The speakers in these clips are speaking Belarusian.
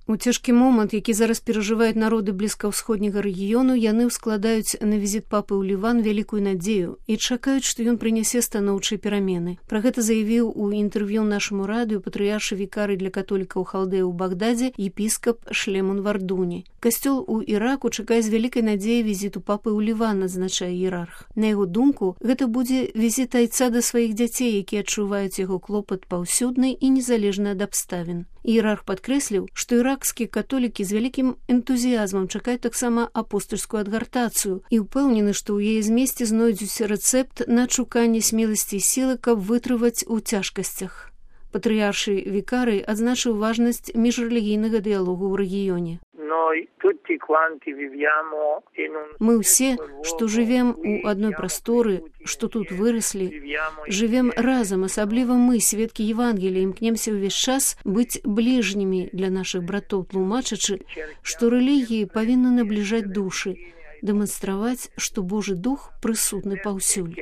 У цяжкі момант, які зараз перажываюць народы блізкаўсходняга рэгіёну, яны ўскладаюць на візіт папы ў Ліван вялікую надзею і чакаюць, што ён прынясе станоўчыя перамены. Пра гэта заявіў у інтэрв'ю нашаму радыё патрыяршы вікарый для католікаў Халдея ў Багдадзе епіскап Шлемон Вардуні. Касцёл у Іраку чакае з вялікай надзеяй візіту папы ў Ліван, адзначае іерарх. На яго думку, гэта будзе візіт айца да сваіх дзяцей, якія адчуваюць яго клопат паўсюдны і незалежна ад абставін. Іерарх падкрэсліў, што іракскія католікі з вялікім энтузіязмам чакаюць таксама апостальскую адгартацыю і ўпэўнены, што ў яе змесце знойдуць рэцэпт на адшуканне смеласці і сілы, каб вытрываць у цяжкасцях. Патрыяршы вікарый адзначыў важнасць міжрэлігійнага дыялогу ў рэгіёне. Мы ўсе, што жывем у адной прасторы, што тут выраслі, жывем разам, асабліва мы, сведкі Евангелія, імкнемся ўвесь час быць бліжнімі для нашых братоў, тлумачачы, што рэлігіі павінны набліжаць душы, дэманстраваць, што Божы дух прысутны паўсюль.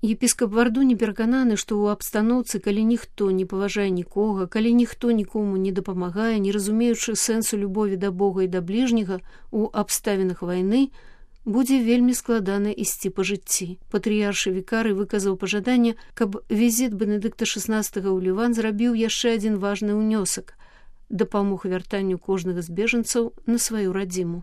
Епіскап Вардуні перакананы, што ў абстаноўцы, калі ніхто не паважае нікога, калі ніхто нікому не дапамагае, не разумеючы сэнсу любові да Бога і да бліжняга, у абставінах вайны, будзе вельмі складана ісці па жыцці. Патрыяршы вікарый выказаў пажаданне, каб візіт Бенедыкта XVI ў Ліван зрабіў яшчэ адзін важны ўнёсак – дапамог вяртанню кожнага з бежанцаў на сваю радзіму.